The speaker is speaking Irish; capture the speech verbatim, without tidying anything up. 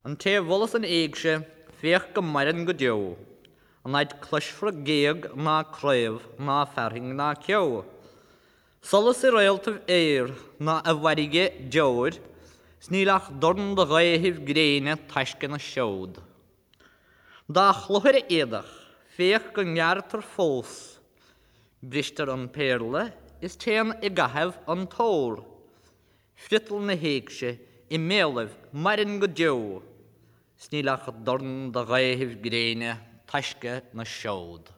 An té a mholas an éigse, féach go maireann go deo, an fhaid cloisfear géag ná craobh ná fearthainn ná ceo. Solas i réaltaibh aeir ná i bhfarraige deoir, 's níl ach dorn de ghaothaibh gréine taisce na seod. Dá chloch ar a éadach, féach go ngearrtar fós, bristear an péarla is téann i gcaitheamh an t-ór. Friotal na héigse i mbéalaibh maireann go deo, 's níl ach dorn de ghaothaibh gréine taisce na seod.